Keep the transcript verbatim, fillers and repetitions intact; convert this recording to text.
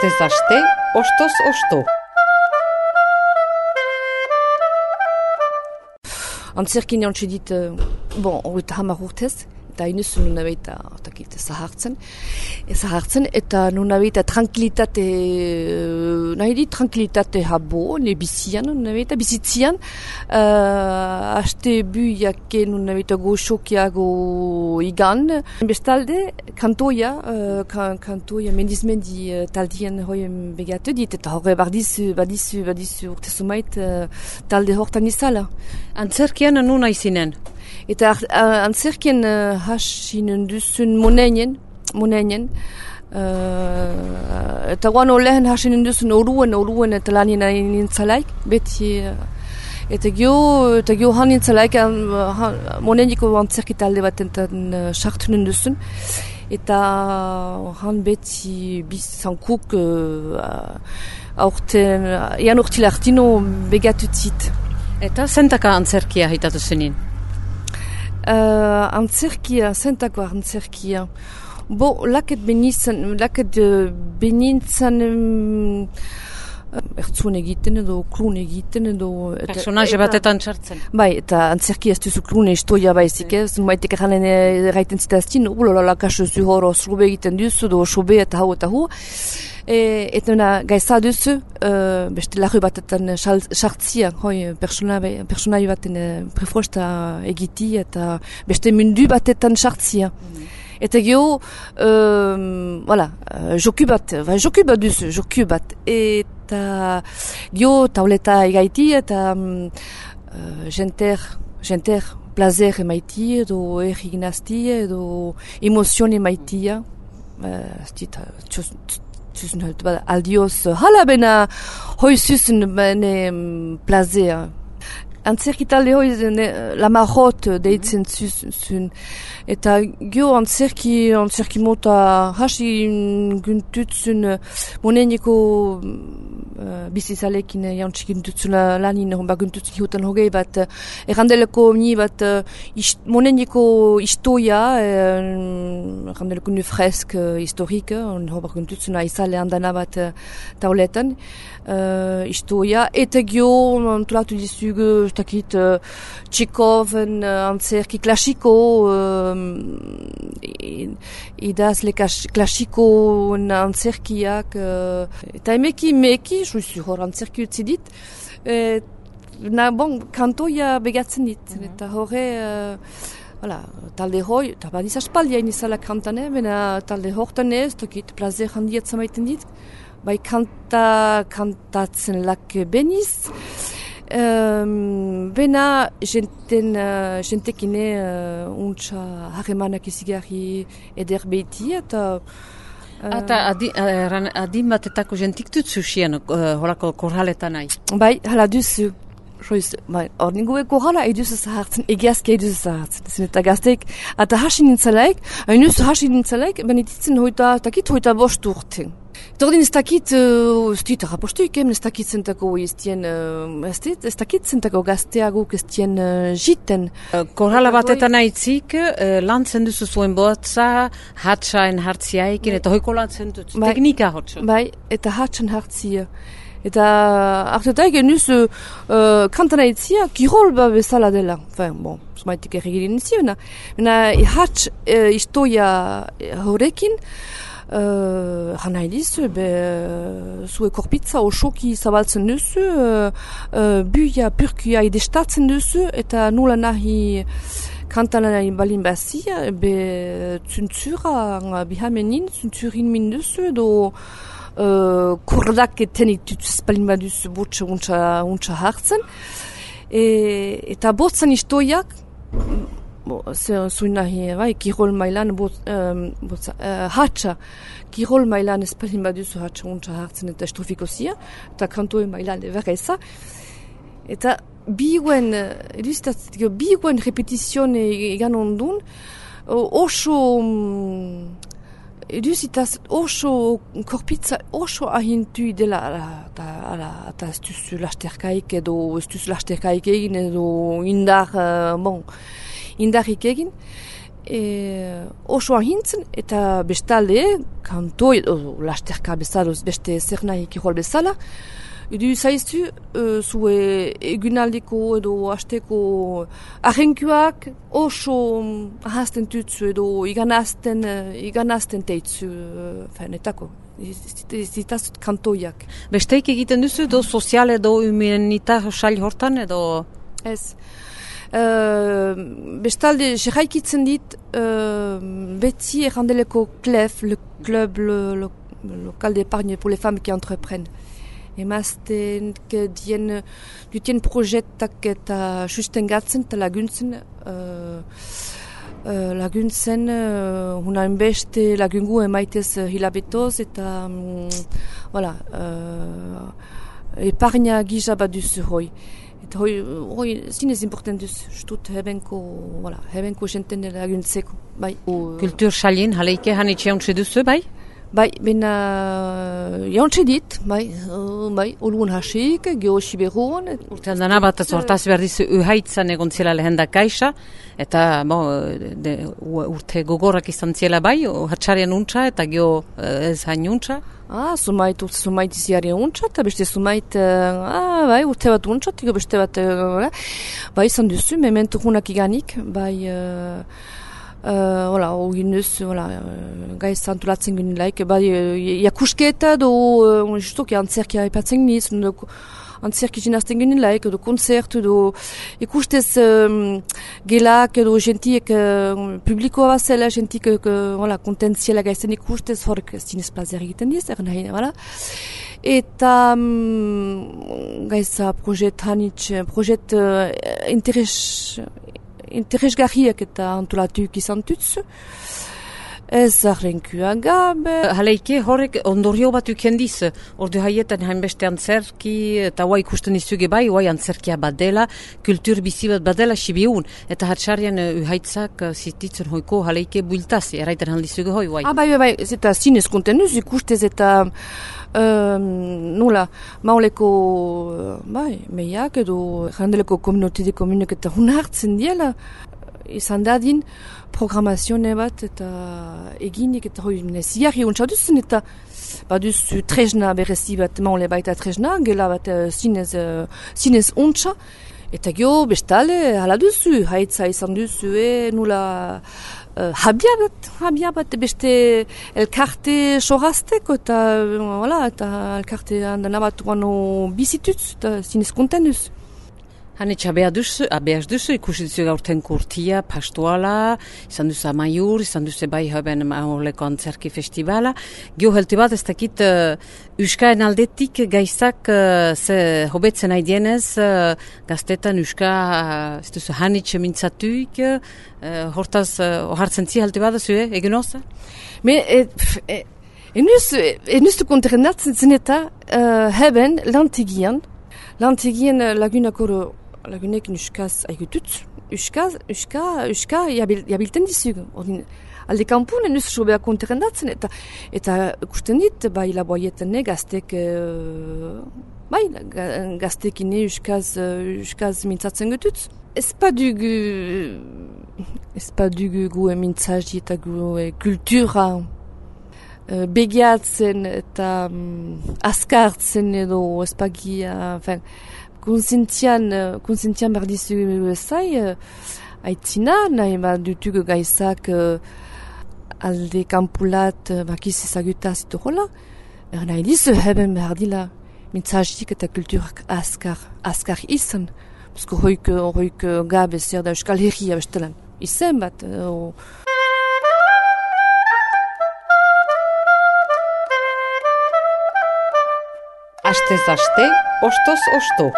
Astez aste, ostoz osto. Antzerkin jantxe dit, bon, horreta hamar urtez, eta inuz nuna behita, otakit, zahartzen, zahartzen, eta nuna behita tranquilitate, nahi dit, tranquilitate habo, ne bizian, nuna behita, bizitzian, uh, aste bu jake nuna behita goxokiago igan, bestalde, kantoia, uh, kan, kantoia mendizmendi uh, taldien hoien begatu dit, eta horre bardizu, badizu, badizu urte sumait, uh, talde hortan izala. Antzerkian nuna izinen? Eta uh, antzerkien uh, hasinen duzun moneinen, moneinen, uh, eta guan olehen hasinen duzun oruen, oruen eta lanien nintzalaik, beti, uh, eta gio, eta gio han nintzalaik, uh, moneiniko antzerki talde bat enten uh, sartunen duzun, eta han beti bizankuk uh, aurten, uh, ean urtila hartino begatutzit. Eta zentaka antzerkia hitatu zenin? Uh, antzerkia, zentako antzerkia. Bo, laket benizan, laket uh, benintzan um, ertzun egiten edo, klun egiten edo... Personaje batetan txartzen. Bai, eta antzerkia ez duzu klune istoia baizik ez, maitek eranen erraiten zitaztin, ulolala kaso zu horo sobe egiten duzu, do sobe eta hau eta hu. E, eta na, gaisa duzu, uh, beste larru batetan sartzia, hoi, personai baten uh, prefrosta egiti, eta beste mundu batetan sartzia. Mm. Eta geho, um, voilà, uh, joku bat, bai, joku bat duzu, joku bat. Eta geho, tauleta egaiti, eta um, uh, jenter, jenter, plazer emaiti, edo erriginazti, edo emozion emaitia. Ztit, uh, Zuzen halt, aldioz, hala bena hoi zuzen bene plazer. Antzerki talde hoi la marot deitzen zuzun. Eta gio antzerki, antzerki mota hasi guntutzun moneneko uh, bizizalekin jantzik guntutzun lanin honba guntutzun hiutan hogei bat errandeleko ni bat uh, ist, moneneko istoia uh, errandeleko nu fresk uh, historik honba guntutzun aizale handana bat uh, tauletan uh, istoia eta gio antolatu dizugu takit uh, Tchekhoven uh, antzerki klasiko uh, idazle klasiko antzerkiak uh, eta emeki emeki juizu hor antzerki utzi dit uh, na bon kantoia begatzen dit mm -hmm. eta horre uh, voilà, talde hoi eta badiz aspaldia inizala kantane bena talde hortan ez tokit plazer handiat zamaiten dit bai kanta kantatzen lak beniz. Um, bena jenten, uh, jentekine uh, untsa harremanak izigarri eder behiti eta uh, Eta adi, uh, adin batetako jentik dutzu xien uh, horako korraletan nahi? Bai, hala duzu. Bai, hor ningue korrala eduzu zahartzen, egiazki eduzu zahartzen. Zin eta gazteik, eta hasin nintzalaik, hainuz hasin nintzalaik, benetitzen hoita, takit hoita bost urten. Tordin ez dakit, ez dit rapostuik, ez dakit zentako iztien, ez dakit zentako gazteaguk ez dien jiten. Korrala batetan naitzik, lantzen duzu zuen botza, hatsaen hartziaikin, eta hoiko lantzen dut, teknika hotzu. Bai, eta hatsan hartzia. Eta hartetaik enuz uh, kantana itzia, kirol ba bezala dela. Enfin, bon, zumaitik erregirin izia, bena hats uh, istoia horrekin, Uh, Hana edizu, be, uh, zue korpitza osoki zabaltzen duzu, uh, uh, buia, purkuia idestatzen duzu, eta nula nahi kantanan balin bazia, be, zuntzura bihamenin, zuntzurin min duzu, edo uh, kordak etenik dutuz balin baduzu botxe untsa, untsa hartzen. E, eta botzan istoiak, zuen nahi, bai, kirol mailan, bot, um, botza, uh, hatsa, kirol mailan espalin baduzu hatsa untsa hartzen eta estrofiko zia, eta kantoen mailan eberra eza. Eta biguen, eduzitatzeko, biguen repetizion egan ondun, oso, eduzitaz, oso korpitza, oso ahintu dela, eta ez duzu lasterkaik edo, ez duzu lasterkaik egin edo indar, uh, bon, indarrik egin. e, oso ahintzen, eta bestalde, kantoi, o, lasterka bezaloz, beste zer nahi kirol bezala, edu zaizu, uh, zue egunaldiko edo hasteko ahenkuak oso ahazten tutzu edo iganazten, iganazten teitzu, uh, fenetako. Zitazut kantoiak. Besteik egiten duzu edo sozial edo humanitar sail hortan edo? Ez. Uh, bestalde, jeraikitzen dit, uh, beti errandeleko C L E F, le club le, le, local d'épargne pour les femmes qui entreprennent. Emazten dien, dutien proiektak eta sustengatzen eta laguntzen, uh, uh, laguntzen, uh, hunain beste lagungu emaitez uh, hilabetoz eta, um, voilà, uh, eparnia gisa bat duzu hoi. Eta hoi, hoi zinez important duz, stut hebenko, voilà, hebenko jenten laguntzeko, bai. Kultur salin, haleike hanitxe hauntze duzu, bai? Bai, bena jauntxe dit, bai, uh, bai, olun hasik, geho siberuan. Urtean dana bat, hortaz behar dizu uhaitzan egon zela lehen da kaisa, eta bo, de, urte gogorrak izan zela bai, hatxarian untxa eta geho ez hain untxa. Ah, sumait, urte sumait iziari untxa, eta beste sumait, uh, ah, bai, urte bat untxa, eta beste bat, uh, bai, izan duzu, mementu hunak iganik, bai, uh, Uh, voilà, ogin duz, voilà, uh, gaiz antolatzen ginen laik, bai, uh, jakusketa do, uh, justok, antzerkia aipatzen niz, antzerki jinazten ginen laik, do konzertu, do ikustez um, gelak, do gentiek uh, publikoa bazela, gentik, uh, voilà, kontentziela gaizen ikustez, horrek zinez plazer egiten diz, er nahi, voilà. Eta um, gaiza projet hanitz, projet uh, interes, interesgarriak eta antolatuik izan tutzu. Ez arrenkua gabe. Haleike horrek ondorio bat ukendiz, ordu haietan hainbeste antzerki, eta hoa ikusten izuge bai, hoa antzerkia bat dela, kultur bizi bat bat dela sibiun, eta hatxarian uhaitzak zititzen hoiko haleike builtazi, erraiten handizuge hoi, bai. Ah, bai, bai, bai, eta zinez kontenuz ikustez eta um, nula, mauleko, bai, meiak edo jandeleko komunotide komunek eta hun hartzen diela, izan dadin, programazione bat eta eginik eta hoi ziarri untsa duzen eta baduzu tresna berezi bat maule baita tresna, gela bat uh, zinez, uh, zinez untsa eta gio bestale hala duzu, haitza izan duzu e nula uh, habia bat, habia bat beste elkarte sorazteko eta, uh, eta elkarte handan bat guano bizitutz eta zinez konten duzu. Hanitz abea duzu, abeaz duzu, ikusi duzu gaurten kurtia, pastuala, izan duzu amaiur, izan duzu bai haben maoleko antzerki festivala. Gio helte bat ez dakit uh, Euskaen aldetik gaizak uh, ze hobetzen nahi dienez, uh, gaztetan Euska uh, ez duzu hanitz mintzatuik, uh, hortaz uh, ohartzen zi helte bat duzu, eh, egin oza? Me, e, e, enuz, enuz du kontrenatzen zen eta uh, haben lantegian, lantegian lagunakoro lagunek euskaz aigututz, euskaz, euska, euska jabilten dizug. Alde kanpun, enuz sobea konterendatzen, eta eta ikusten dit, bai laboietan gaztek, bai, gaztekin euskaz, euskaz mintzatzen gututz. Ez pa dugu, ez pa dugu gu mintzaji eta gu kultura begiatzen eta um, askartzen edo ez pagia, enfin, Konzentian, konzentian behar dizu zai, aitzina, nahi bat dutugu gaizak uh, alde kampulat uh, bakiz ezagutaz ito hola, er nahi dizu heben behar dila mintzazik eta kulturak askar, askar izan, bizko hoik, hoik gabe zer da euskal herria bestelan, izan bat. Uh, Astez aste, ostoz osto.